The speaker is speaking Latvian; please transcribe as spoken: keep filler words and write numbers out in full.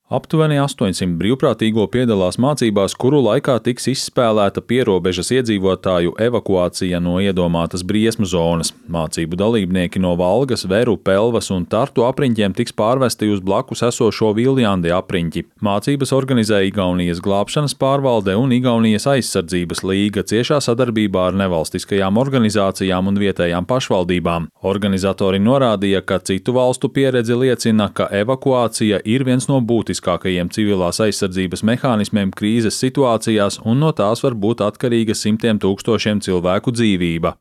Aptuveni astoņsimt brīvprātīgo piedalās mācībās, kuru laikā tiks izspēlēta pierobežas iedzīvotāju evakuācija no iedomātas briesmu zonas. Mācību dalībnieki no Valgas, Veru, Pelvas un Tartu apriņķiem tiks pārvesti uz blakus esošo Viljandi apriņķi. Mācības organizē Igaunijas glābšanas pārvalde un Igaunijas aizsardzības līga ciešā sadarbībā ar nevalstiskajām organizācijām un vietējām pašvaldībām. Organizatori norādīja, ka citu valstu pieredze liecina, ka evakuācija ir viens no būtiskākajiem Būtiskākajiem civilās aizsardzības mehānismiem krīzes situācijās, un no tās var būt atkarīga simtiem tūkstošiem cilvēku dzīvība.